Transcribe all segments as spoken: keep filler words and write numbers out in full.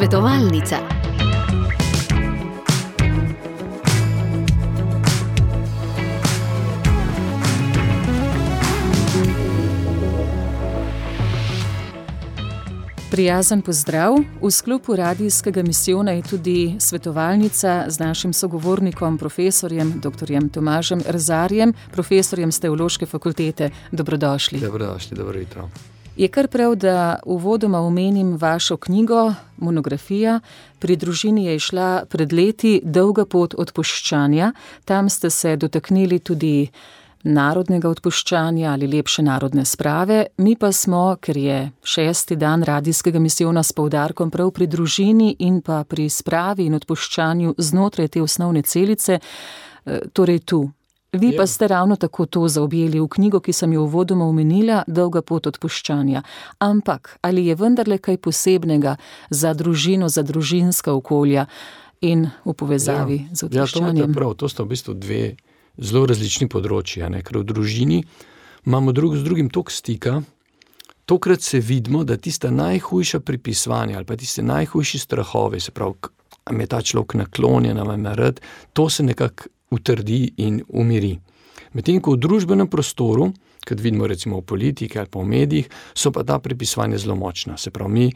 Svetovalnica. Prijazen pozdrav. V sklopu radijskega misijona je tudi svetovalnica z našim sogovornikom, profesorjem doktorjem Tomažem Erzarjem, profesorjem s Teološke fakultete. Dobrodošli. Dobrodošli, dobro jutro. Je kar prav, da uvodoma omenim vašo knjigo, monografija. Pri družini je išla pred leti Dolga pot odpuščanja. Tam ste se dotaknili tudi narodnega odpuščanja ali lepše narodne sprave. Mi pa smo, ker je šesti dan radijskega misijona s poudarkom prav pri družini in pa pri spravi in odpuščanju znotraj te osnovne celice, torej tu. Vi pa ste ravno tako to zaobjeli v knjigo, ki sem jo uvodoma omenila, Dolga pot odpuščanja. Ampak, ali je vendarle kaj posebnega za družino, za družinska okolja in v povezavi ja. z odpuščanjem? Ja, to je prav. To sta v bistvu dve zelo različni področji, ne? Ker v družini imamo drug z drugim toliko stika, tokrat se vidimo, da tista najhujša pripisovanja ali pa tiste najhujši strahovi, se pravi, am je ta človek naklonjen, am je rad, to se nekako utrdi in umiri. Medtem ko v družbenem prostoru, kad vidimo recimo v politiki ali pa v medijih, so pa ta pripisovanja zelo močna. Se pravi, mi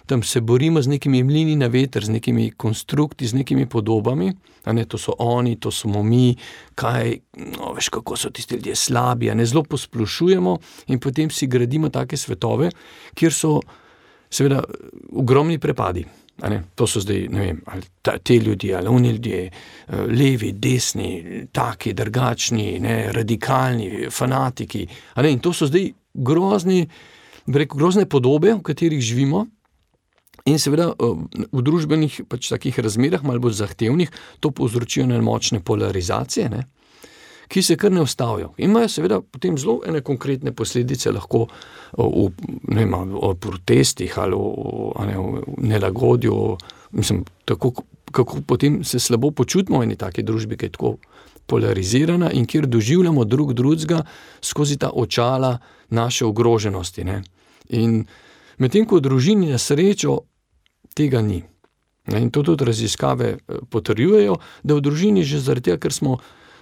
tam se borimo z nekimi mlini na veter, z nekimi konstrukti, z nekimi podobami, a ne, to so oni, to smo mi, kaj, no, veš, kako so tisti ljudje slabi, a ne, zelo posplošujemo in potem si gradimo take svetove, kjer so seveda ogromni prepadi. A ne, to so zdaj, ne vem, ali ta, te ljudje, ali oni ljudje, levi, desni, taki, drugačni, ne, radikalni, fanatiki, a ne, in to so zdaj grozni, rekel, grozne podobe, v katerih živimo in seveda v družbenih pač takih razmerah, malo bolj zahtevnih, to povzročijo ene močne polarizacije, ne, ki se kar ne ustavijo. In imajo seveda potem zelo ene konkretne posledice lahko v, ne vem, o protestih ali o, ne, o nelagodju, mislim, tako, kako potem se slabo počutimo v eni taki družbi, ki je tako polarizirana in kjer doživljamo drug drugega skozi ta očala naše ogroženosti, ne. In medtem ko v družini na srečo tega ni. In to tudi raziskave potrjujejo, da v družini že zaradi tega, ker smo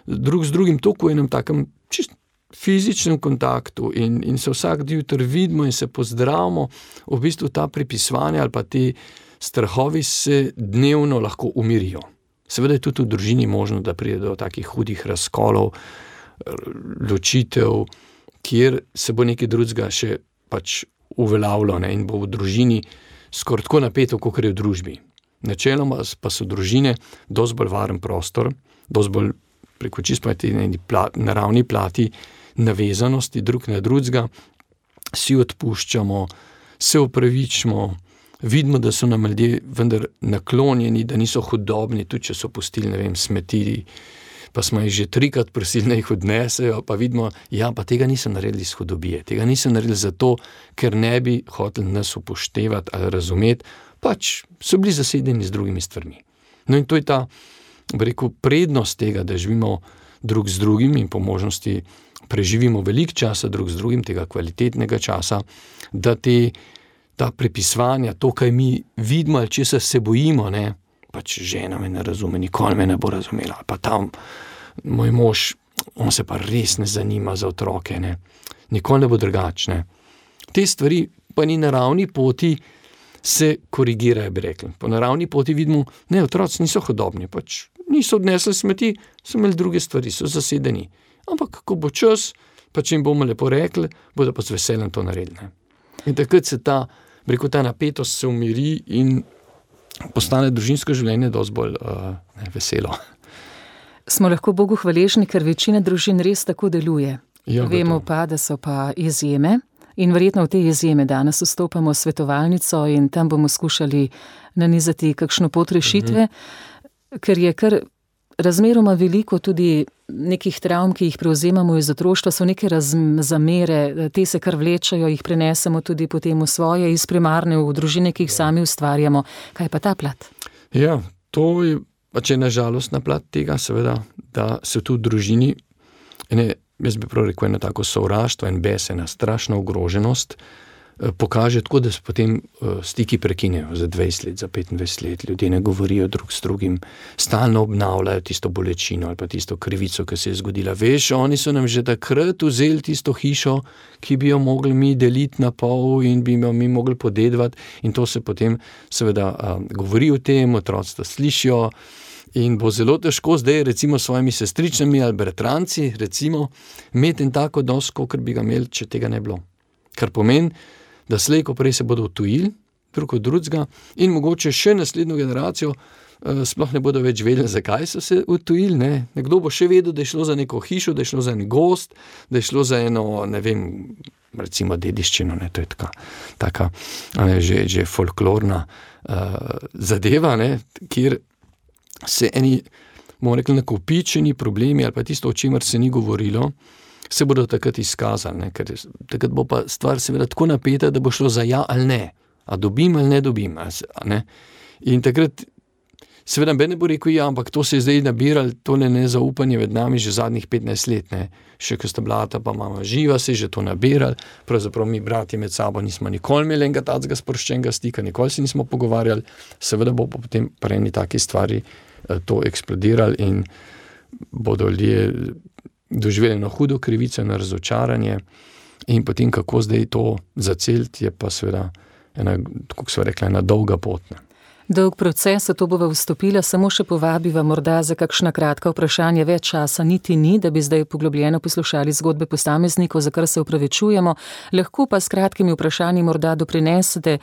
drug z drugim toliko v enem takem čist fizičnem kontaktu in, in se vsak jutri vidimo in se pozdravimo, v bistvu ta pripisovanja ali pa ti strahovi se dnevno lahko umirijo. Seveda je tudi v družini možno, da pride do takih hudih razkolov, ločitev, kjer se bo nekaj drugega še pač uveljavilo, ne, in bo v družini skoraj tako napeto, kot je v družbi. Načeloma pa so družine dosti bolj varen prostor, dosti bolj preko čisto naravni plati navezanosti drug na drugega, si odpuščamo, se opravičimo, vidimo, da so nam ljudje vendar naklonjeni, da niso hudobni, tudi če so pustili, ne vem, smeti, pa smo jih že trikrat prosili, da jih odnesejo, pa vidimo, ja, pa tega niso naredili iz hudobije, tega niso naredili zato, ker ne bi hoteli nas upoštevati ali razumeti, pač so bili zasedeni z drugimi stvarmi. No in to je ta, bi rekel, prednost tega, da živimo drug z drugim in po možnosti preživimo veliko časa drug z drugim, tega kvalitetnega časa, da te, ta prepisovanja, to, kaj mi vidimo ali česa se bojimo, ne, pač žena me ne razume, nikoli me ne bo razumela, pa tam moj mož, on se pa res ne zanima za otroke, ne, nikoli ne bo drugačne. Te stvari pa ni na ravni poti se korigirajo, bi rekli. Po naravni poti vidimo, ne, otroci niso hudobni, pač niso odnesli smeti, so imeli druge stvari, so zasedeni. Ampak, ko bo čas, pa če jim bomo lepo rekli, bodo pa z veseljem to naredili. Ne. In takrat se ta, bi rekel, ta napetost se umiri in postane družinsko življenje dosti bolj uh, ne, veselo. Smo lahko Bogu hvaležni, ker večina družin res tako deluje. Ja, vemo pa, da so pa izjeme. In verjetno v te izjeme danes vstopamo v svetovalnico in tam bomo skušali nanizati kakšno pot rešitve, mm-hmm. ker je kar razmeroma veliko tudi nekih travm, ki jih prevzemamo iz otroštva, so neke raz- zamere, te se kar vlečajo, jih prenesemo tudi potem v svoje, iz primarne v družine, ki jih sami ustvarjamo. Kaj pa ta plat? Ja, to je, pač je nažalostna plat tega, seveda, da se tu v družini, ene, jaz bi prav rekel, eno tako sovraštvo in bes, ena strašna ogroženost, pokaže tako, da se potem stiki prekinejo za dvajset let, za petindvajset let. Ljudje ne govorijo drug s drugim, stalno obnavljajo tisto bolečino ali pa tisto krivico, ki se je zgodila. Veš, oni so nam že takrat vzeli tisto hišo, ki bi jo mogli mi deliti na pol in bi jo mi mogli podedovati, in to se potem seveda a, govori o tem, otroci to slišijo. In bo zelo težko zdaj recimo s svojimi sestričnami ali bratranci recimo imeti en tak odnos, kakor bi ga imeli, če tega ne bilo. Kar pomeni, da slej ko prej se bodo odtujili drug od drugega in mogoče še naslednjo generacijo eh, sploh ne bodo več vedeli, zakaj so se odtujili. Ne? Nekdo bo še vedel, da je šlo za neko hišo, da je šlo za en gost, da je šlo za eno, ne vem, recimo dediščino, ne? To je taka, taka ne, že, že folklorna uh, zadeva, ne? Kjer se eni, bomo rekli, nakopičeni problemi ali pa tisto, o čemer se ni govorilo, se bodo takrat izkazali, ne? Ker takrat bo pa stvar seveda tako napeta, da bo šlo za ja ali ne, a dobim ali ne dobim, a ne? In takrat seveda ben ne bo rekel ja, ampak to se je zdaj nabiralo, tole nezaupanje med nami že zadnjih petnajst let, ne? Še ko sta blata pa mama živa, se je že to nabirali, pravzaprav mi bratje med sabo nismo nikoli imeli enega tacega sproščenega stika, nikoli se nismo pogovarjali, seveda bo potem pri eni taki stvari to eksplodirali in bodo ljudje doživeli eno hudo krivico, eno razočaranje in potem kako zdaj to zaceliti, je pa seveda ena, kako so rekla, ena dolga pot. Ne. Dolg proces, v to bova vstopila, samo še povabiva morda za kakšna kratka vprašanja, več časa niti ni, da bi zdaj poglobljeno poslušali zgodbe posameznikov, za kar se upravičujemo, lahko pa s kratkimi vprašanji morda doprinesete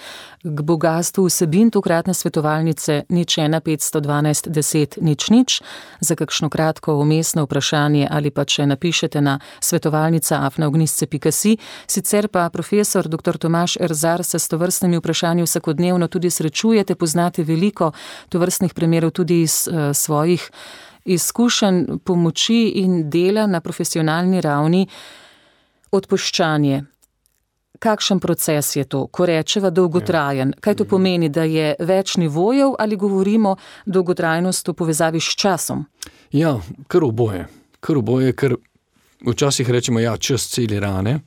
k bogastvu vsebin tokratne svetovalnice nič ena petsto dvanajst deset nič nič, za kakšno kratko vmesno vprašanje ali pa če napišete na svetovalnica afna ognjišče pika si. Sicer pa profesor doktor Tomaž Erzar se s tovrstnimi vprašanji vsakodnevno tudi srečujete, poznate veliko tovrstnih primerov tudi iz uh, svojih izkušenj, pomoči in dela na profesionalni ravni. Odpuščanje. Kakšen proces je to, ko rečeva dolgotrajen? Kaj to pomeni, da je več nivojev ali govorimo dolgotrajnost v povezavi s časom? Ja, kar oboje. Kar oboje, ker včasih rečemo, ja, čas celi rane,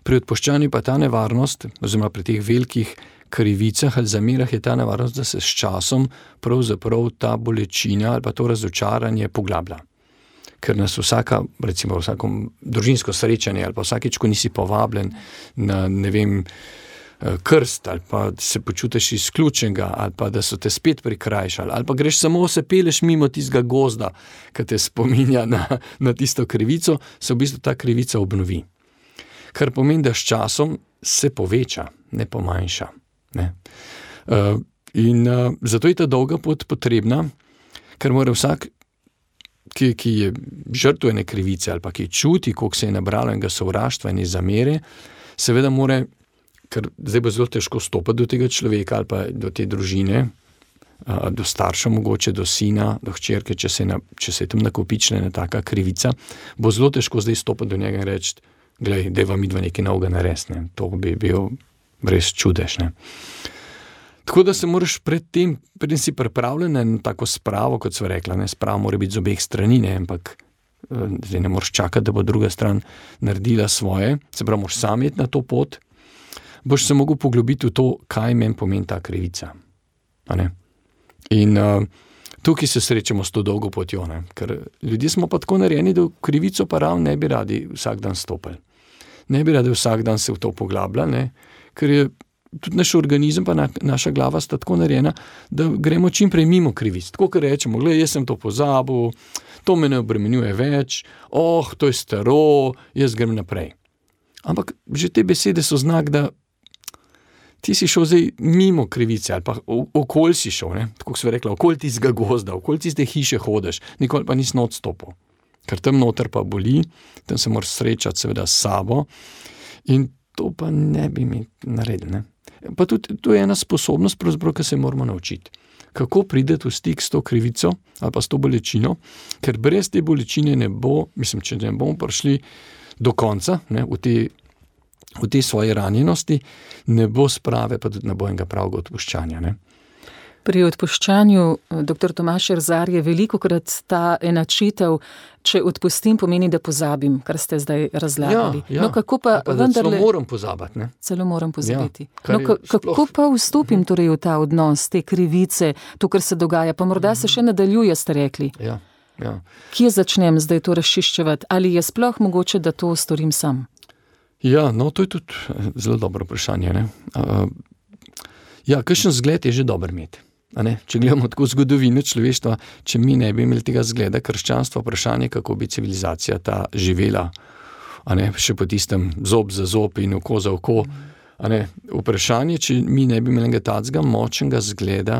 pri odpuščanju pa ta nevarnost, oziroma pri teh velikih krivicah ali zamerah je ta nevarnost, da se s časom pravzaprav ta bolečina ali pa to razočaranje poglablja. Ker nas vsaka, recimo vsako družinsko srečanje ali pa vsakič, ko nisi povabljen na, ne vem, krst ali pa se počutiš izključenega ali pa da so te spet prikrajšali ali pa greš samo se peleš mimo tistega gozda, ki te spominja na, na tisto krivico, se v bistvu ta krivica obnovi. Kar pomeni, da s časom se poveča, ne pomanjša. Ne. Uh, in uh, zato je ta dolga pot potrebna, ker mora vsak, ki, ki je žrtev ene krivice ali pa ki čuti, koliko se je nabralo enega sovraštva in zamere, seveda mora, ker zdaj bo zelo težko stopiti do tega človeka ali pa do te družine, uh, do starša mogoče, do sina, do hčerke, če se, na, če se je tam nakopičila ena taka krivica, bo zelo težko zdaj stopiti do njega in reči, glej, dajva midva nekaj novega narediti, ne. To bi bil res čudež, ne. Tako da se moraš pred tem, pred si pripravljen na tako spravo, kot sva rekla, ne, spravo mora biti z obeh strani, ne, ampak zdaj ne moraš čakati, da bo druga stran naredila svoje, se pravi, moraš sam iti na to pot, boš se mogel poglobiti v to, kaj meni pomeni ta krivica. A ne? In uh, tukaj se srečamo s to dolgo potjo, ne, ker ljudje smo pa tako narejeni, da v krivico pa ravno ne bi radi vsak dan stopili. Ne bi radi vsak dan se v to poglabljali, ne, ker je tudi naš organizem pa na, naša glava sta tako narejena, da gremo čim prej mimo krivic. Tako, ker rečemo, gled, jaz sem to pozabil, to me ne obremenjuje več, oh, to je staro, jaz grem naprej. Ampak že te besede so znak, da ti si šel zdaj mimo krivice, ali pa okoli si šel, ne? Tako so rekla, okoli tistega gozda, okoli tiste hiše hodeš, nikoli pa nisi odstopil. Ker tam noter pa boli, tam se moraš srečati seveda s sabo in to pa ne bi mi naredili. Ne? Pa tudi to je ena sposobnost, ki se moramo naučiti. Kako prideti v stik s to krivico ali pa s to bolečino, ker brez te bolečine ne bo, mislim, če ne bomo prišli do konca, ne, v te v tej svoji ranjenosti, ne bo sprave, pa tudi ne bo enega pravega odpuščanja. Ne? Pri odpuščanju, doktor Tomaž Erzar, je velikokrat ta enačitev, če odpustim, pomeni, da pozabim, kar ste zdaj razlagali. Ja, ja. No, kako pa, pa vendarle... Celo moram pozabiti, ne? Celo moram pozabiti. Ja, no, ka, kako sploh... pa vstopim torej v ta odnos, te krivice, to, kar se dogaja, pa morda se še nadaljuje, ste rekli. Ja, ja. Kje začnem zdaj to razčiščevati? Ali je sploh mogoče, da to storim sam? Ja, no, to je tudi zelo dobro vprašanje, ne? Uh, ja, kakšen zgled je že dober imeti. A ne? Če gledamo tako zgodovino človeštva, če mi ne bi imeli tega zgleda krščanstva, vprašanje, kako bi civilizacija ta živela, a ne? Še po tistem zob za zob in oko za oko. A ne? Vprašanje, če mi ne bi imeli tacga močnega zgleda,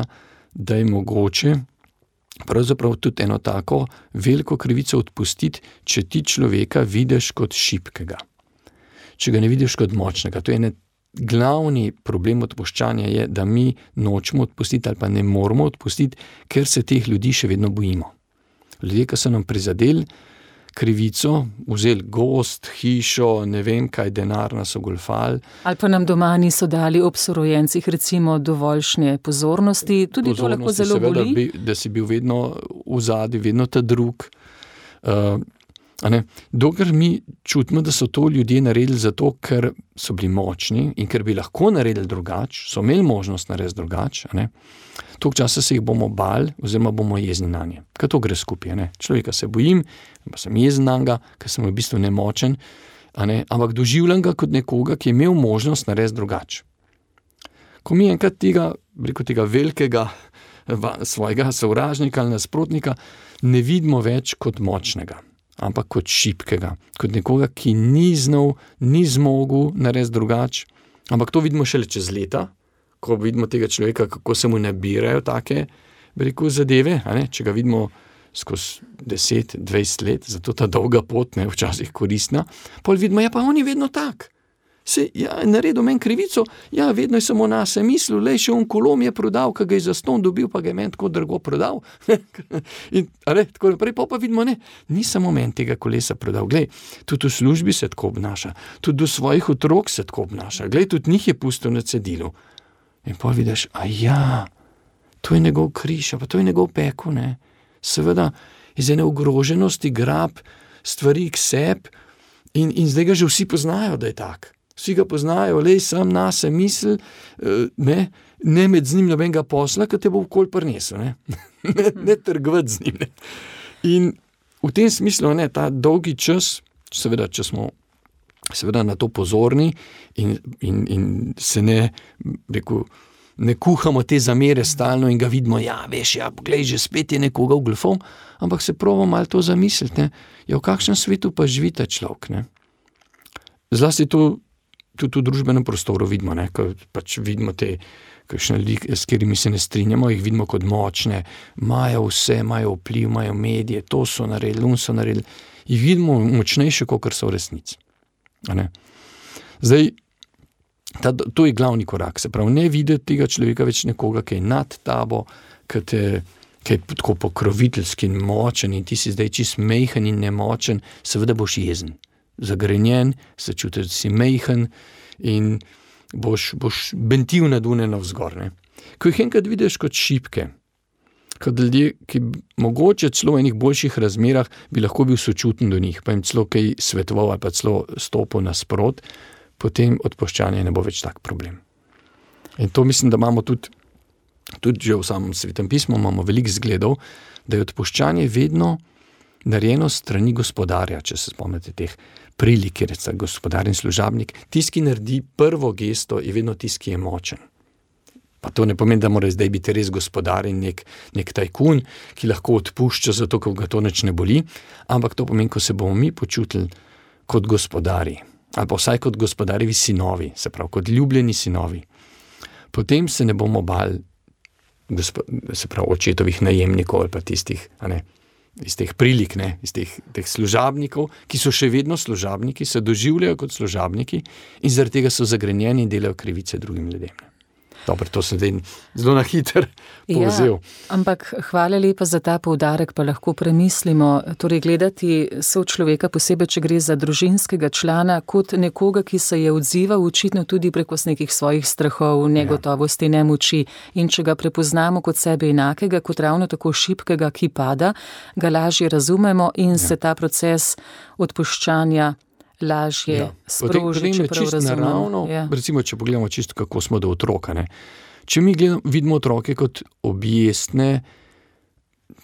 da je mogoče pravzaprav tudi eno tako veliko krivico odpustiti, če ti človeka vidiš kot šibkega. Če ga ne vidiš kot močnega. To je ene glavni problem odpuščanja je, da mi nočemo odpustiti ali pa ne moramo odpustiti, ker se teh ljudi še vedno bojimo. Ljudje, ki so nam prizadeli krivico, vzeli gost, hišo, ne vem kaj, denar nas ogolfali. Ali pa nam doma niso dali ob sorojencih recimo dovoljšnje pozornosti, tudi pozornosti, to lahko zelo seveda, boli. Bi, da si bil vedno v zadju, vedno ta drug. Uh, A ne? Dokler mi čutimo, da so to ljudje naredili zato, ker so bili močni in ker bi lahko naredili drugače, so imeli možnost narediti drugače, toliko časa se jih bomo bali oziroma bomo jezni na nje. Kaj to gre skupaj? Ne? Človeka se bojim, pa sem jezen na njega, ker sem v bistvu nemočen, a ne? Ampak doživljam ga kot nekoga, ki je imel možnost narediti drugače. Ko mi enkrat tega, rekel tega velikega svojega sovražnika ali nasprotnika ne vidimo več kot močnega, ampak kot šibkega, kot nekoga, ki ni znal, ni zmogel narediti drugače, ampak to vidimo šele čez leta, ko vidimo tega človeka, kako se mu nabirajo take, bi rekel, zadeve, a ne? Če ga vidimo skozi deset, dvajset let, zato ta dolga pot, ne, včasih koristna, pol vidimo, ja, pa on je vedno tak. Se, ja, naredil meni krivico, ja, vedno je samo na se mislil, lej, še on kolo mi je prodal, ki ga je za ston dobil, pa ga je meni tako drago prodal. In, a ne, tako naprej, pa pa vidimo, ne, ni samo meni tega kolesa prodal, glej, tudi v službi se tako obnaša, tudi do svojih otrok se tako obnaša, glej, tudi njih je pustil na cedilu. In pa vidiš, a ja, to je njegov križ, pa to je njegov pekel, ne. Seveda, iz ene ogroženosti grab stvari k sebi in, in zdaj ga že vsi poznajo, da je tak. Vsi ga poznajo, lej, sam na se misli, ne, ne med z njim nobenega posla, ki te bo vkoli prinesel, ne, ne, ne trgovati z njim, ne. In v tem smislu, ne, ta dolgi čas, seveda, če smo seveda na to pozorni in, in, in se ne, rekel, ne kuhamo te zamere stalno in ga vidimo, ja, veš, ja, glej, že spet je nekoga vglfal, ampak se probamo malo to zamisliti, ne, ja, v kakšnem svetu pa živi ta človek, ne. Zlasti to tudi v družbenem prostoru vidimo, ne, ko pač vidimo te, kakšne ljudi, s katerimi se ne strinjamo, jih vidimo kot močne, imajo vse, imajo vpliv, imajo medije, to so naredili, on so naredili, jih vidimo močnejše, kot so v resnici. A ne. Zdaj, ta, to je glavni korak, se pravi, ne videti tega človeka več nekoga, ki je nad tabo, ki te, ki je tako pokroviteljski in močen in ti si zdaj čist mejhen in nemočen, seveda boš jezen. Zagrenjen, se čutiš, da si mejhen in boš, boš bentil nad une navzgor. Ne? Ko jih enkrat vidiš kot šibke, kot ljudje, ki mogoče celo v enih boljših razmerah bi lahko bil sočuten do njih, pa jim celo kaj svetoval ali pa celo stopil nasprot, potem odpuščanje ne bo več tak problem. In to mislim, da imamo tudi, tudi že v samem Svetem pismu, imamo veliko zgledov, da je odpuščanje vedno narejeno strani gospodarja, če se spomnite teh prilik, kjer je gospodar in služabnik. Tisti, ki naredi prvo gesto, je vedno tisti, ki je močen. Pa to ne pomeni, da mora zdaj biti res gospodar in nek, nek tajkun, ki lahko odpušča zato, ker ga to nič ne boli, ampak to pomeni, ko se bomo mi počutili kot gospodari, ali pa vsaj kot gospodarjevi sinovi, se pravi, kot ljubljeni sinovi. Potem se ne bomo bali, se pravi, očetovih najemnikov ali pa tistih, a ne, iz teh prilik, ne, iz teh, teh služabnikov, ki so še vedno služabniki, se doživljajo kot služabniki in zaradi tega so zagrenjeni in delajo krivice drugim ljudem. Dobro, to sem zdaj zelo na hiter povzel. Ja, ampak hvala lepa za ta poudarek, pa lahko premislimo, torej gledati sočloveka, posebej, če gre za družinskega člana, kot nekoga, ki se je odzival očitno tudi preko nekih svojih strahov, negotovosti, nemoči, in če ga prepoznamo kot sebe enakega, kot ravno tako šibkega, ki pada, ga lažje razumemo in ja. se ta proces odpuščanja lažje ja. sproži, čeprav razumemo. Ja. Recimo, če pogledamo čisto, kako smo do otroka. Ne? Če mi gledamo, vidimo otroke kot objestne,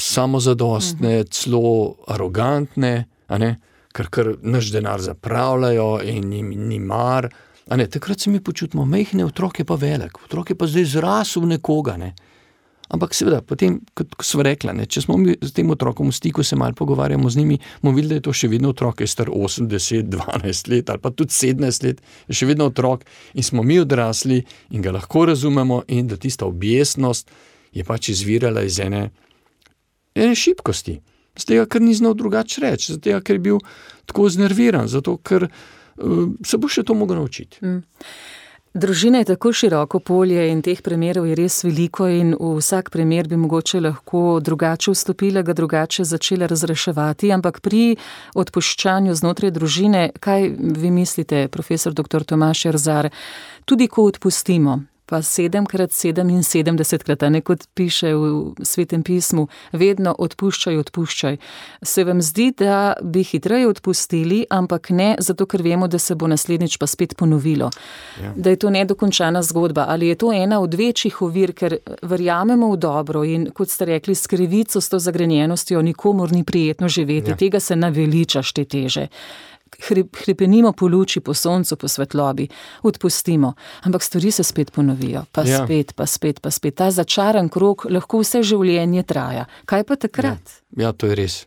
samozadostne, uh-huh. celo arogantne, a ne? Ker, ker naš denar zapravljajo in jim ni mar. A ne? Takrat se mi počutimo mehne, otrok je pa velik, otrok je pa zdaj zrasel nekoga. Ne? Ampak seveda, potem, kot sva rekla, ne, če smo mi s tem otrokom v stiku, se malo pogovarjamo z njimi, bomo videli, da je to še vedno otrok, je star osem, deset, dvanajst let ali pa tudi sedemnajst let, je še vedno otrok in smo mi odrasli in ga lahko razumemo in da tista objestnost je pač izvirala iz ene, ene šibkosti. Z tega, ker ni znal drugače reči, z tega, ker je bil tako znerviran, zato, ker uh, se bo še to mogel naučiti. Mm. Družina je tako široko polje in teh primerov je res veliko in v vsak primer bi mogoče lahko drugače vstopila, ga drugače začela razreševati, ampak pri odpuščanju znotraj družine, kaj vi mislite, profesor doktor Tomaž Erzar, tudi ko odpustimo, pa sedemkrat sedeminsedemdesetkrat, a ne kot piše v Svetem pismu, vedno odpuščaj, odpuščaj. Se vam zdi, da bi hitreje odpustili, ampak ne zato, ker vemo, da se bo naslednjič pa spet ponovilo. Ja. Da je to nedokončana zgodba. Ali je to ena od večjih ovir, ker verjamemo v dobro in, kot ste rekli, s krivico, s to zagrenjenostjo nikomur ni prijetno živeti. Ja. Tega se naveličaš te teže. Hrepenimo po luči, po soncu, po svetlobi, odpustimo, ampak stvari se spet ponovijo, pa ja. spet, pa spet, pa spet. Ta začaran krog lahko vse življenje traja. Kaj pa takrat? Ja, ja to je res.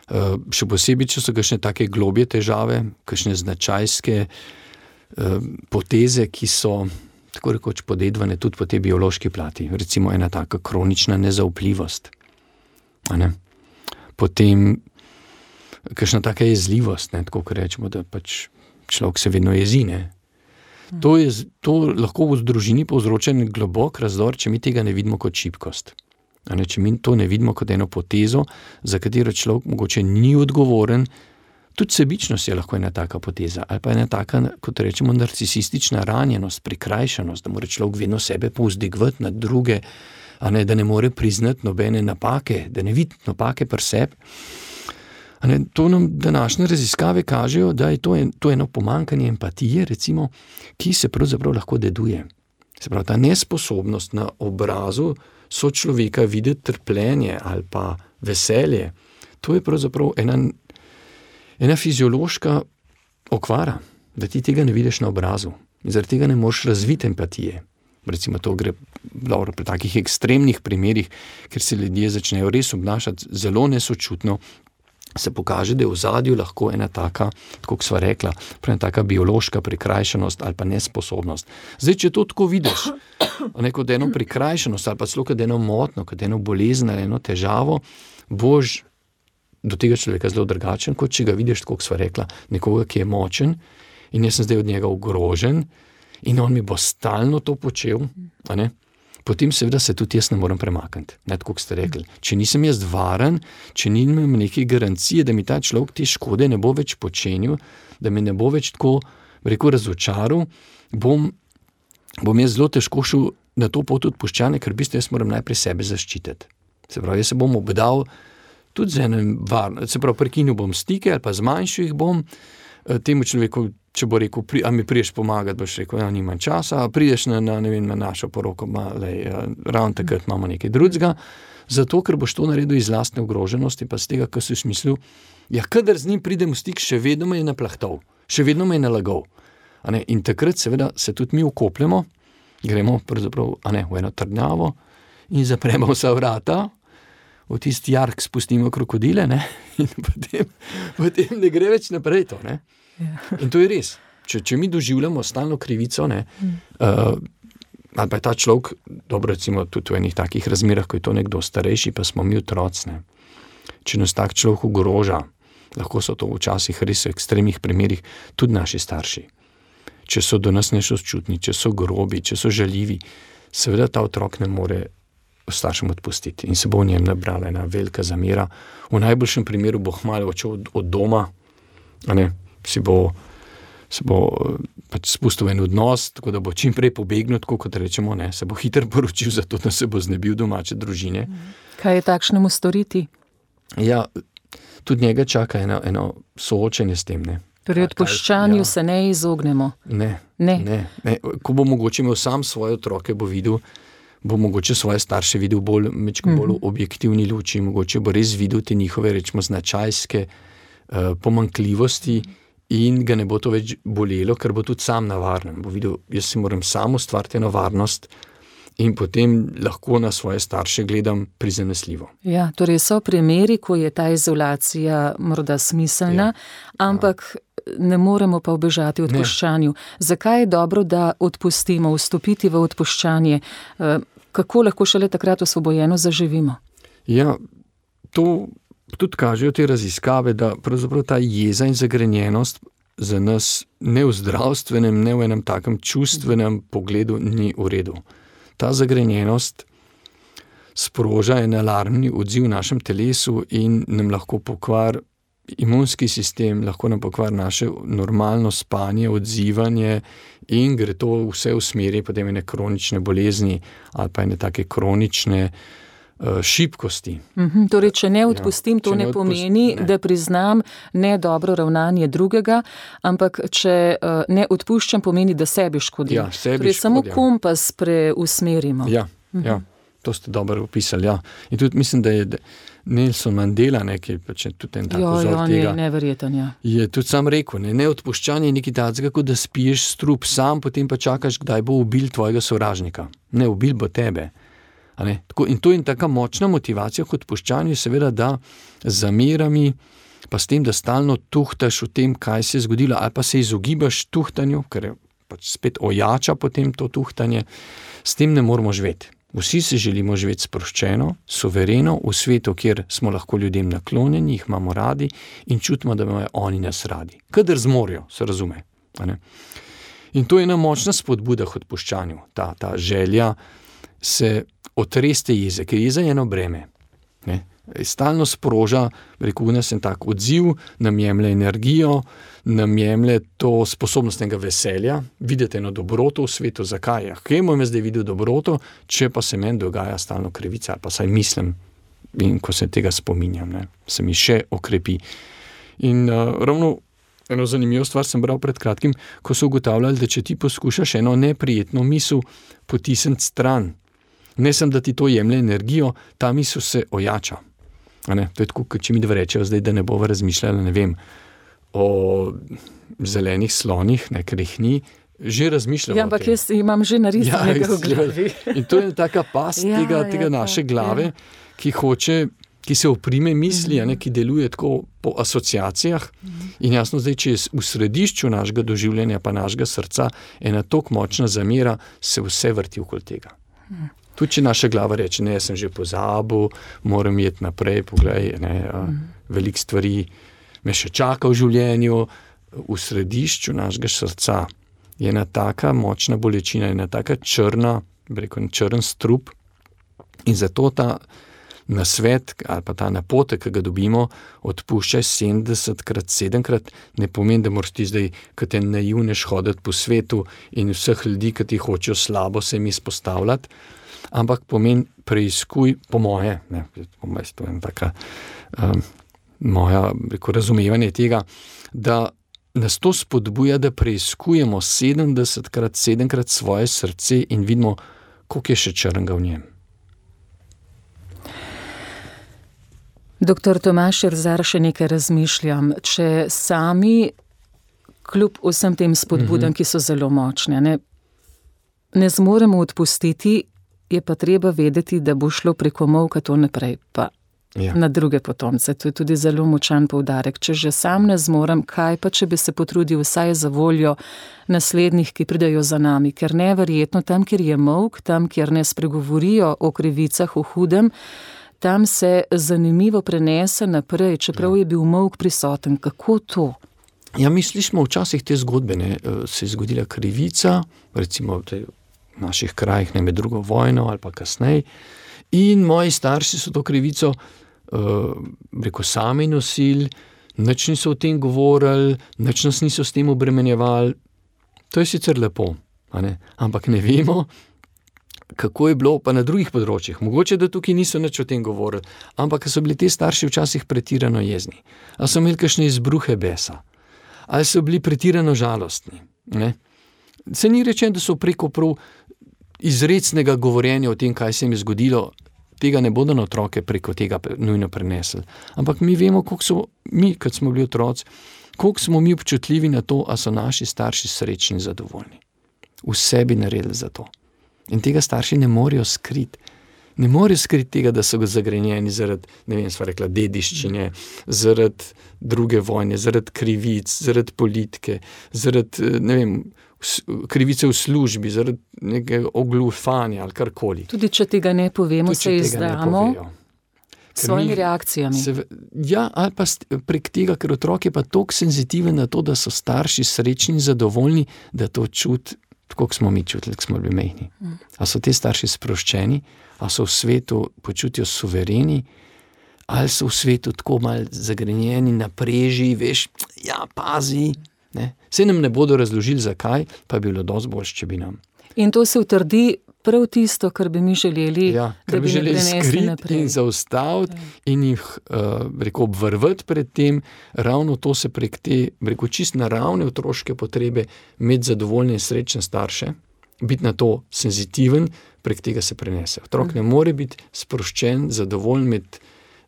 Uh, še posebej, če so kakšne take globje težave, kakšne značajske uh, poteze, ki so tako rekoč podedvane tudi po tej biološki plati. Recimo ena taka kronična nezaupljivost. A ne? Potem kakšna taka jezljivost, ne, tako kot rečemo, da pač človek se vedno jezi, ne. To, je, to lahko v družini povzroča globok razdor, če mi tega ne vidimo kot šibkost. A ne, če mi to ne vidimo kot eno potezo, za katero človek mogoče ni odgovoren, tudi sebičnost je lahko ena taka poteza, ali pa ena taka, kot rečemo, narcisistična ranjenost, prikrajšanost, da mora človek vedno sebe povzdigovati nad druge, a ne, da ne more priznati nobene napake, da ne vidi napake pri sebi. Ne, to nam današnje raziskave kažejo, da je to, en, to eno pomanjkanje empatije, recimo, ki se pravzaprav lahko deduje. Se pravi, ta nesposobnost na obrazu sočloveka videti trpljenje ali pa veselje, to je pravzaprav ena, ena fiziološka okvara, da ti tega ne vidiš na obrazu. In zaradi tega ne moreš razviti empatije. Recimo to gre dobro pri takih ekstremnih primerih, ker se ljudje začnejo res obnašati zelo nesočutno, se pokaže, da je v zadju lahko ena taka, tako kot sva rekla, ena taka biološka prikrajšanost ali pa nesposobnost. Zdaj, če to tako vidiš, kot eno prikrajšanost ali pa celo kot eno motno, kot eno bolezen ali eno težavo, boš do tega človeka zelo drugačen, kot če ga vidiš, tako kot sva rekla, nekoga, ki je močen in jaz sem zdaj od njega ogrožen in on mi bo stalno to počel, a ne? Potem seveda se tudi jaz ne morem premakniti, ne, tako kot ste rekli. Če nisem jaz varen, če nimam neke garancije, da mi ta človek te škode ne bo več počenil, da me ne bo več tako, rekel, razočaral, bom, bom jaz zelo težko šel na to pot odpuščanja, ker v bistvu jaz moram najprej sebe zaščititi. Se pravi, jaz se bom obdal tudi z enim varno, se pravi, prekinil bom stike ali pa zmanjšil jih bom, temu človeku, če bo rekel, pri, a mi priješ pomagati, boš rekel, ja, nimam časa, a prideš na, na, ne vem, na našo poroko, ma, lej, ravno takrat imamo nekaj drugega, zato, ker boš to naredil iz lastne ogroženosti, pa z tega, kar si smislil, ja, kadar z njim pridem v stik, še vedno me je naplahtal, še vedno me je nalagal. A ne, in takrat seveda se tudi mi ukopljamo, gremo pravzaprav, a ne, v eno trdnjavo in zapremo vsa vrata, v tisti jark spustimo krokodile, ne, in potem, potem ne gre več naprej to, ne. In to je res. Če, če mi doživljamo stalno krivico, ne, mm. uh, ali pa je ta človek, dobro recimo tudi v enih takih razmerah, ko je to nekdo starejši, pa smo mi otroci, ne. Če nas tak človek ogroža, lahko so to včasih res v ekstremnih primerih tudi naši starši. Če so do nas nesočutni, če so grobi, če so žaljivi, seveda ta otrok ne more staršem odpustiti in se bo v njem nabrala ena velika zamera. V najboljšem primeru bo hmalo odšel od, od doma, a ne, si bo, se bo pač spustil en odnos, tako da bo čim prej pobegnil, tako kot rečemo, ne, se bo hitro poročil, zato da se bo znebil domače družine. Kaj je takšnemu storiti? Ja, tudi njega čaka eno, eno soočenje s tem, ne. Pri odpuščanju ja. se ne izognemo. Ne, ne. ne, ne. Ko bo mogoče imel sam svoje otroke, bo videl, bo mogoče svoje starše videl bolj, mečko bolj mm-hmm. objektivni luči, mogoče bo res videl te njihove, rečemo, značajske uh, pomanjkljivosti in ga ne bo to več bolelo, ker bo tudi sam na varnem. Bo videl, jaz si moram sam ustvariti eno varnost in potem lahko na svoje starše gledam prizanesljivo. Ja, torej so primeri, ko je ta izolacija morda smiselna, ja. ampak ne moremo pa ubežati v odpuščanju. Ne. Zakaj je dobro, da odpustimo, vstopiti v odpuščanje? Kako lahko šele takrat osvobojeno zaživimo? Ja, to tudi kažejo te raziskave, da pravzaprav ta jeza in zagrenjenost za nas ne v zdravstvenem, ne v enem takem čustvenem pogledu ni v redu. Ta zagrenjenost sproža en alarmni odziv v našem telesu in nam lahko pokvar imunski sistem, lahko nam pokvar naše normalno spanje, odzivanje in gre to vse v smeri potem ene kronične bolezni ali pa ene take kronične uh, šibkosti. Mm-hmm, torej, če ne odpustim, ja, to ne, ne pomeni, odpust, ne. da priznam ne dobro ravnanje drugega, ampak če uh, ne odpuščam, pomeni, da sebi škodim. Ja, sebi torej, škod, samo ja. kompas preusmerimo. Ja, mm-hmm. ja, to ste dobro opisali, ja. In tudi mislim, da je Nelson Mandela, ne, ki je pač tudi en tak jo, vzor jo, tega, ne, neverjeten, ja. je tudi sam rekel, ne, neodpuščanje je nekaj takega, kot da spiješ strup sam, potem pa čakaš, kdaj bo ubil tvojega sovražnika. Ne, ubil bo tebe. A ne? Tako, in to je taka močna motivacija k odpuščanju, seveda, da z zamerami, pa s tem, da stalno tuhtaš v tem, kaj se je zgodilo, ali pa se izogibaš tuhtanju, ker pač spet ojača potem to tuhtanje, s tem ne moramo živeti. Vsi se želimo živeti sproščeno, suvereno, v svetu, kjer smo lahko ljudem naklonjeni, jih imamo radi in čutimo, da imajo oni nas radi. Kadar zmorijo, se razume. A ne? In to je ena močna spodbuda k odpuščanju, ta, ta želja se otreste jeze, ker jeza je eno breme. Ne? Stalno sproža, rekel nas en tak odziv, nam jemlje energijo, nam jemlje to sposobnost enega veselja, videti eno dobroto v svetu, zakaj? Kaj bom jaz zdaj videl dobroto, če pa se meni dogaja stalno krivica, ali pa saj mislim, in ko se tega spominjam, ne, se mi še okrepi. In uh, ravno eno zanimivo stvar sem bral pred kratkim, ko so ugotavljali, da če ti poskušaš eno neprijetno misel potisniti stran, ne sem, da ti to jemlje energijo, ta misel se ojača. A ne, to je tako, če mi dva rečejo zdaj, da ne bova razmišljala, ne vem, o zelenih slonih, ne, ker jih ni, že razmišljamo. Ja, ampak jaz imam že narisanega ja, v glavi. In to je taka past ja, tega, tega ja, naše glave, ja. ki hoče, ki se oprime misli, mm-hmm. a ne, ki deluje tako po asociacijah. Mm-hmm. In jasno zdaj, če je v središču našega doživljenja pa našega srca ena tok močna zamera, se vse vrti okoli tega. Mm. Tudi, če naša glava reče, ne, jaz sem že pozabil, moram jeti naprej, poglej, ne, mm. veliko stvari me še čaka v življenju, v središču našega srca je ena taka močna bolečina, ena taka črna, rekel, črn strup in zato ta nasvet ali pa ta napotek, ki ga dobimo, odpuščaj sedemdesetkrat, sedemkrat, ne pomeni, da moraš ti zdaj, kot te naivnež hoditi po svetu in vseh ljudi, ki ti hočejo slabo se mi izpostavljati, ampak pomeni preiskuj, po moje, ne, po moje, to je taka um, moja, rekel, razumevanje tega, da nas to spodbuja, da preiskujemo sedemdesetkrat, sedemkrat svoje srce in vidimo, koliko je še črnega v njem. Doktor Tomaž Erzar, še nekaj razmišljam. Če sami, kljub vsem tem spodbudam, mm-hmm. ki so zelo močne, ne, ne zmoremo odpustiti, je pa treba vedeti, da bo šlo preko molka to naprej, pa ja. na druge potomce. To je tudi zelo močan poudarek. Če že sam ne zmorem, kaj pa, če bi se potrudil vsaj za voljo naslednjih, ki pridejo za nami, ker neverjetno tam, kjer je molk, tam, kjer ne spregovorijo o krivicah, o hudem, tam se zanimivo prenese naprej, čeprav je bil molk prisoten. Kako to? Ja, misliš, smo včasih te zgodbe, ne, se je zgodila krivica, recimo naših krajih, ne med drugo vojno ali pa kasneje. In moji starši so to krivico uh, rekel, sami nosili, nič niso o tem govorili, nič nas niso s tem obremenjevali. To je sicer lepo, a ne? Ampak ne vemo, kako je bilo pa na drugih področjih. Mogoče, da tukaj niso nič o tem govorili, ampak so bili ti starši včasih pretirano jezni. Ali so imeli kakšne izbruhe besa, ali so bili pretirano žalostni. Ne? Se ni rečeno, da so preko prav izrecnega govorjenja o tem, kaj se jim je zgodilo, tega ne bodo na otroke preko tega nujno prenesli. Ampak mi vemo, koliko so mi, kad smo bili otroci, koliko smo mi občutljivi na to, a so naši starši srečni in zadovoljni. Vse bi naredili za to. In tega starši ne morejo skriti. Ne morejo skriti tega, da so ga zagrenjeni zaradi, ne vem, sva rekla, dediščine, zaradi druge vojne, zaradi krivic, zaradi politike, zaradi, ne vem, krivice v službi, zaradi nekega oglufanja ali karkoli. Tudi če tega ne povemo, Tudi, se izdamo s svojimi mi, reakcijami. Se, ja, ali pa prek tega, ker otrok je pa toliko senzitiven na to, da so starši srečni in zadovoljni, da to čuti, tako smo mi čutili, ko smo bili mehni. Mm. A so te starši sproščeni, a so v svetu počutijo suvereni, ali so v svetu tako malo zagrenjeni, napreži, veš, ja, pazi. Ne? Se nam ne bodo razložili, zakaj, pa bi bilo dosti boljše, če bi nam. In to se utrdi prav tisto, kar bi mi želeli, ja, da bi, bi želeli skriti in zaustaviti ja. in jih uh, rekel, obvrvati pred tem, ravno to se prek te, rekel, čist naravne otroške potrebe imeti zadovoljne in srečne starše, biti na to senzitiven, prek tega se prenese. Otrok mm. ne more biti sproščen, zadovoljen med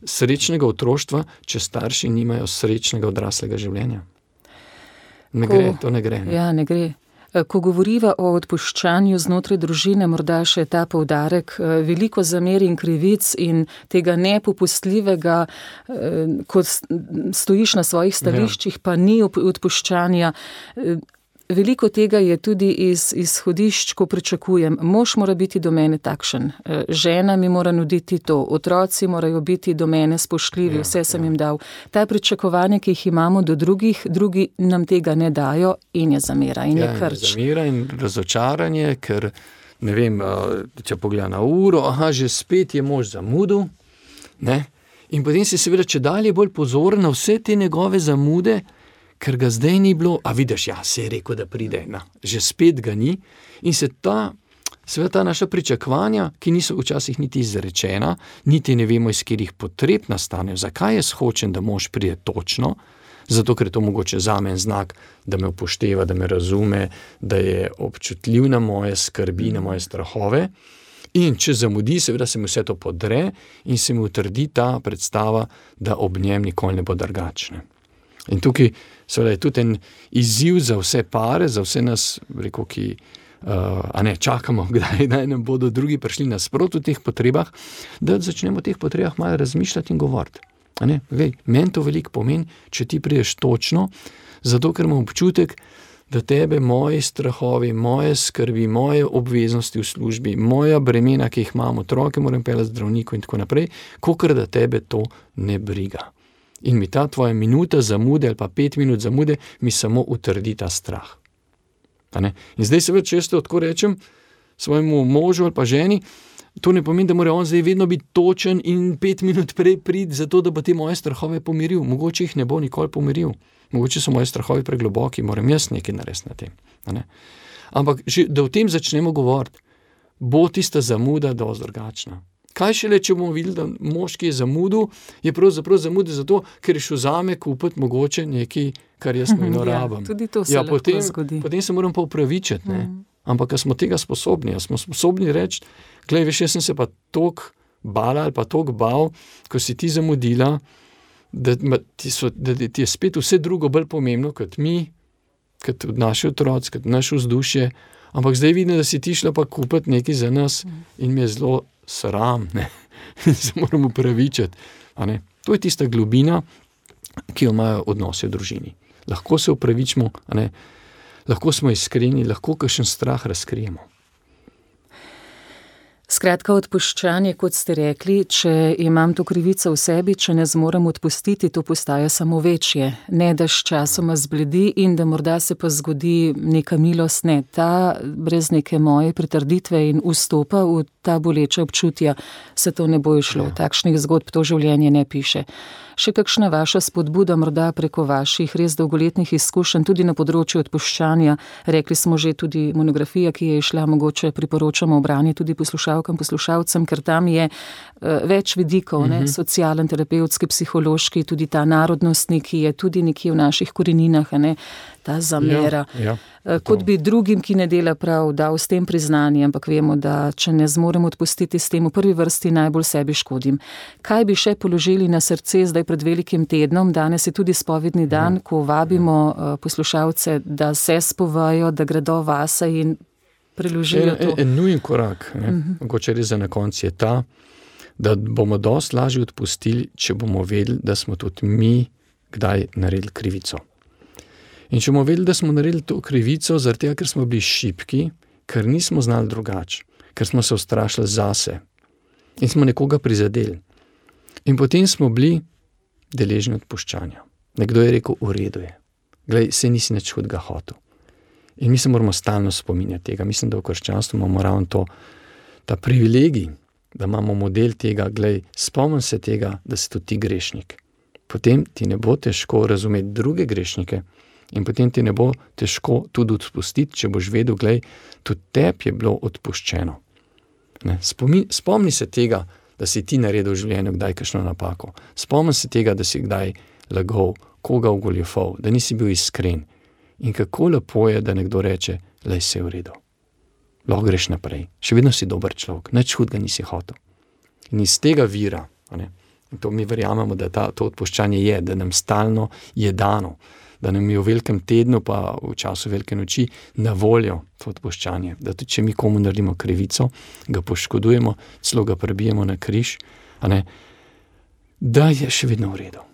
srečnega otroštva, če starši nimajo srečnega odraslega življenja. Ne Ko, gre, to ne gre. Ne? Ja, ne gre. Ko govoriva o odpuščanju znotraj družine, morda še ta poudarek, veliko zamer in krivic in tega nepopustljivega, ko stojiš na svojih stališčih, ja. pa ni odpuščanja. Veliko tega je tudi iz izhodišč, ko pričakujem. Mož mora biti do mene takšen, žena mi mora nuditi to, otroci morajo biti do mene spoštljivi, ja, vse sem ja. jim dal. Ta pričakovanja, ki jih imamo do drugih, drugi nam tega ne dajo in je zamera in ja, je krč. Je zamera in razočaranje, ker ne vem, če pogleda na uro, aha, že spet je mož zamudil, ne? In potem si seveda če dalje bolj pozoren na vse te njegove zamude, ker ga zdaj ni bilo, a vidiš, ja, se je rekel, da pride, na, že spet ga ni in se ta, seveda ta naša pričakovanja, ki niso včasih niti izrečena, niti ne vemo, iz katerih potreb nastanejo, zakaj jaz hočem, da mož pride točno, zato, ker je to mogoče zame en znak, da me upošteva, da me razume, da je občutljiv na moje skrbi, na moje strahove in če zamudi, seveda se mi vse to podre in se mi utrdi ta predstava, da ob njem nikoli ne bo drugačne. In tukaj seveda je tudi en izziv za vse pare, za vse nas, rekel, ki uh, a ne, čakamo, kdaj naj nam bodo drugi prišli nasprot v teh potrebah, da začnemo o teh potrebah malo razmišljati in govoriti. A ne, vej, meni to veliko pomeni, če ti prideš točno, zato ker imam občutek, da tebe moji strahovi, moje skrbi, moje obveznosti v službi, moja bremena, ki jih imam, otroke moram peljati zdravniku in tako naprej, kakor da tebe to ne briga. In mi ta tvoja minuta zamude ali pa pet minut zamude mi samo utrdi ta strah. A ne? In zdaj se več, če jaz to tako rečem svojemu možu ali pa ženi, to ne pomeni, da mora on zdaj vedno biti točen in pet minut prej priti zato, da bo te moje strahove pomiril. Mogoče jih ne bo nikoli pomiril. Mogoče so moje strahovi pregloboki, moram jaz nekaj narediti na tem. A ne? Ampak, že, da o tem začnemo govoriti, bo tista zamuda dosti drugačna. Kaj šele, če bomo videli, da mož, ki je zamudil, je pravzaprav zamudil zato, ker je šel zame kupiti mogoče nekaj, kar jaz nujno rabim. Ja, tudi to se ja, lahko potem, zgodi. Potem se moram pa upravičiti, ne. Mm. Ampak, smo tega sposobni, smo sposobni reči, glej, veš, jaz sem se pa toliko bala ali pa toliko bal, ko si ti zamudila, da ti, so, da ti je spet vse drugo bolj pomembno kot mi, kot naši otroci, kot naše vzdušje, ampak zdaj vidim, da si ti šla pa kupiti nekaj za nas mm. in mi je zelo sram, ne, se moram upravičiti, a ne. To je tista globina, ki jo imajo odnosi v družini. Lahko se upravičimo, a ne, lahko smo iskreni, lahko kakšen strah razkrijemo. Skratka, odpuščanje, kot ste rekli, če imam to krivico v sebi, če ne zmorem odpustiti, to postaja samo večje. Ne, da s časoma zbledi in da morda se pa zgodi neka milost, ne, ta brez neke moje pritrditve in vstopa v ta boleča občutja, se to ne bo išlo. Takšnih zgodb to življenje ne piše. Še kakšna vaša spodbuda morda preko vaših res dolgoletnih izkušenj tudi na področju odpuščanja? Rekli smo že tudi monografija, ki je išla, mogoče priporočamo v branje tudi poslušalkam, poslušalcem, ker tam je uh, več vidikov, ne, socialen, terapevtski, psihološki, tudi ta narodnostni, ki je tudi nekje v naših koreninah, ne, ta zamera. Ja, ja, Kot bi drugim, ki ne dela prav, dal s tem priznanje, ampak vemo, da če ne zmorem odpustiti s tem, v prvi vrsti najbolj sebi škodim. Kaj bi še položili na srce zdaj pred velikim tednom? Danes je tudi spovedni dan, ko vabimo poslušalce, da se spovajo, da gredo vase in preložijo to. En, en nujen korak, ne, uh-huh. mogoče res za na koncu je ta, da bomo dosti lažje odpustili, če bomo vedeli, da smo tudi mi kdaj naredili krivico. In če bomo vedeli, da smo naredili to krivico, zaradi tega, ker smo bili šibki, ker nismo znali drugače, ker smo se ustrašili zase in smo nekoga prizadeli. In potem smo bili deležni odpuščanja. Nekdo je rekel, v redu je. Glej, se nisi nič hudega hotel. In mi se moramo stalno spominjati tega. Mislim, da v krščanstvu imamo ravno to, ta privilegij, da imamo model tega, glej, spomnim se tega, da si tudi ti grešnik. Potem ti ne bo težko razumeti druge grešnike, in potem ti ne bo težko tudi odpustiti, če boš vedel, glej, tudi tebi je bilo odpuščeno. Ne? Spomni, spomni se tega, da si ti naredil v življenju kdaj kakšno napako. Spomni se tega, da si kdaj lagal, koga ogoljufal, da nisi bil iskren. In kako lepo je, da nekdo reče, lej, se v redu. Lahko greš naprej. Še vedno si dober človek, nič hudega nisi hotel. In iz tega vira, ne? In to mi verjamemo, da ta, to odpuščanje je, da nam stalno je dano, da nam je v velikem tednu pa v času velike noči na voljo to odpuščanje. Da tudi, če mi komu naredimo krivico, ga poškodujemo, celo ga prebijemo na križ, a ne, da je še vedno v redu.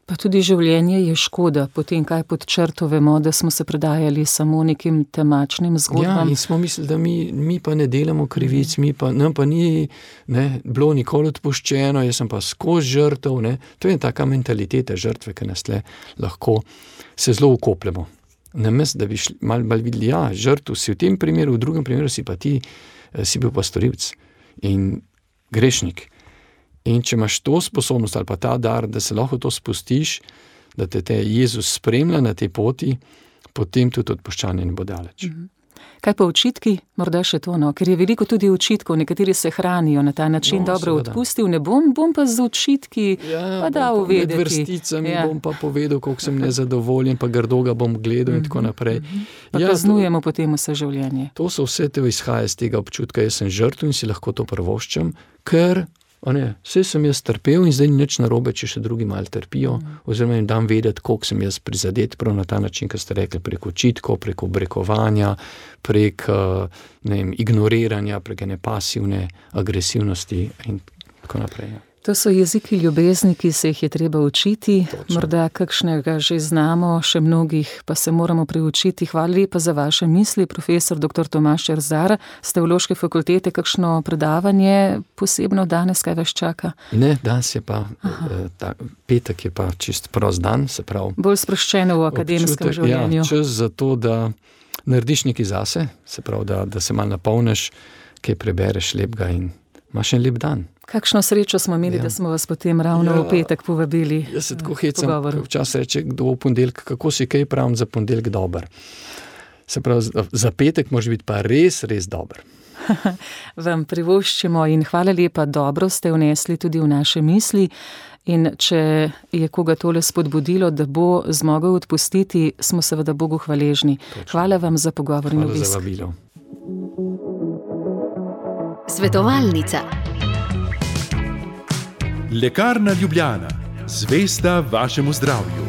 Pa tudi življenje je škoda, potem kaj pod črto vemo, da smo se predajali samo nekim temačnim zgodbam. Ja, in smo mislili, da mi, mi pa ne delamo krivic, mi pa, nam pa ni ne, bilo nikoli odpuščeno, jaz sem pa skozi žrtev, ne. To je taka mentaliteta žrtve, ki nas tle lahko se zelo ukopljamo. Namesto, da bi šli, malo mal videli, ja, žrtev si v tem primeru, v drugem primeru si pa ti, si bil pa storilec in grešnik. In če imaš to sposobnost ali pa ta dar, da se lahko to spustiš, da te, te Jezus spremlja na tej poti, potem tudi odpuščanje ne bo daleč. Mhm. Kaj pa očitki? Morda še to, no? Ker je veliko tudi očitkov, nekateri se hranijo na ta način, no, dobro seveda. Odpustil, ne bom, bom pa z očitki ja, pa dal vedeti. Med vrsticami ja. bom pa povedal, koliko sem nezadovoljen, pa grdo ga bom gledal in tako naprej. Pa ja, kaznujemo to, potem vse življenje. To so vse te izhaja iz tega občutka, jaz sem žrtev in si lahko to prvoščam, ker Ne, vse sem jaz trpel in zdaj ni nič narobe, če še drugi malo trpijo, mm. oziroma jim dam vedeti, koliko sem jaz prizadet, prav na ta način, kot ste rekli, preko očitkov, preko obrekovanja, prek ne vem, ignoriranja, prek ene pasivne agresivnosti in tako naprej. Ja. To so jeziki ljubezni, ki se jih je treba učiti. Točno. Morda kakšnega že znamo, še mnogih pa se moramo priučiti. Hvala lepa za vaše misli, profesor doktor Tomaž Erzar z Teološke fakultete. Kakšno predavanje posebno danes, kaj vas čaka? Ne, danes je pa, ta, petek je pa čist prost dan, se pravi. Bolj sproščeno v akademskem občutek, življenju. Ja, čas za to, da narediš nekaj zase, se pravi, da, da se malo napolniš, kaj prebereš lepega in imaš en lep dan. Kakšno srečo smo imeli, ja. da smo vas potem ravno ja, v petek povabili. Jaz se tako hecam, včasih reče, kdo v ponedeljek, kako si kaj pravim za ponedeljek dober. Se pravi, za petek može biti pa res, res dober. Vam privoščimo in hvala lepa, dobro ste vnesli tudi v naše misli. In če je koga tole spodbudilo, da bo zmogel odpustiti, smo seveda Bogu hvaležni. Točno. Hvala vam za pogovor in obisk. Hvala za vabilo. Svetovalnica. Lekarna Ljubljana. Zvesta vašemu zdravju.